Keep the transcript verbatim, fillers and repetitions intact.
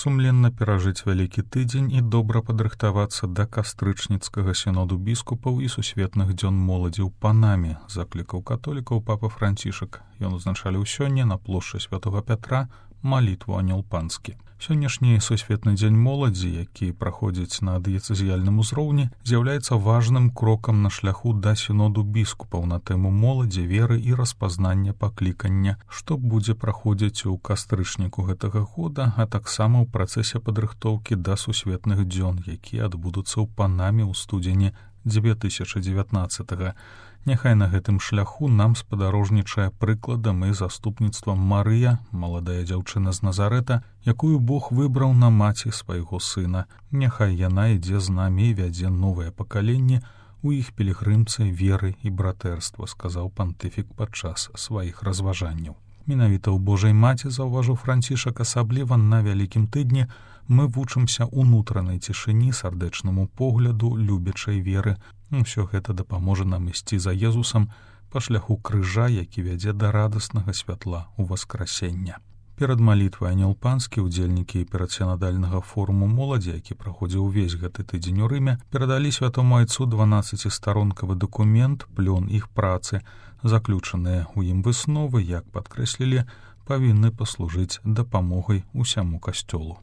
сумленна перажыць вялікі тыдзень і добра падрыхтавацца да кастрычніцкага сіноду біскупаў і сусветных дзён моладзі ў Панаме, заклікаў католікаў папа Францішак. Ён узначаліў сёння на плошчы святога Пятра малітву Анёл Панскі. Сённяшні сусветны дзень моладзі, які праходзіць на дыяцэзіяльным узроўні, з'яўляецца важным крокам на шляху да сіноду біскупаў на тэму моладзі, веры і распазнання паклікання, што будзе праходзіць у кастрычніку гэтага года, а таксама ў працэсе падрыхтоўкі да сусветных дзён, якія адбудуцца ў Панаме ў студзені дзве тысячы дзевятнаццатага. Няхай на гэтым шляху нам спадарожнічае прыкладам і заступніцтвам Марыя, маладая дзяўчына з Назарэта, якую Бог выбраў на маці свайго сына. Няхай яна ідзе з намі і вядзе новае пакаленне у іх пілігрымцы веры і братэрства, сказаў пантыфік падчас сваіх разважанняў. Менавіта ў Божай маці, заўважыў Францішак, асабліва на вялікім тыдні, мы вучымся ўнутранай цішыні, сардэчнаму погляду, любячай веры. Усё гэта дапаможа нам ісці за Езусам па шляху крыжа, які вядзе да радаснага святла ў васкрасення. Перад малітвай Анёл Панскі удзельнікі перадсінадальнага форуму моладзі, які праходзіў увесь гэты тыдзень у Рыме, перадалі святому айцу дванаццацісторонкавы дакумент, плён іх працы. Заключаныя ў ім высновы, як падкрэслілі, павінны паслужыць дапамогай усяму касцёлу.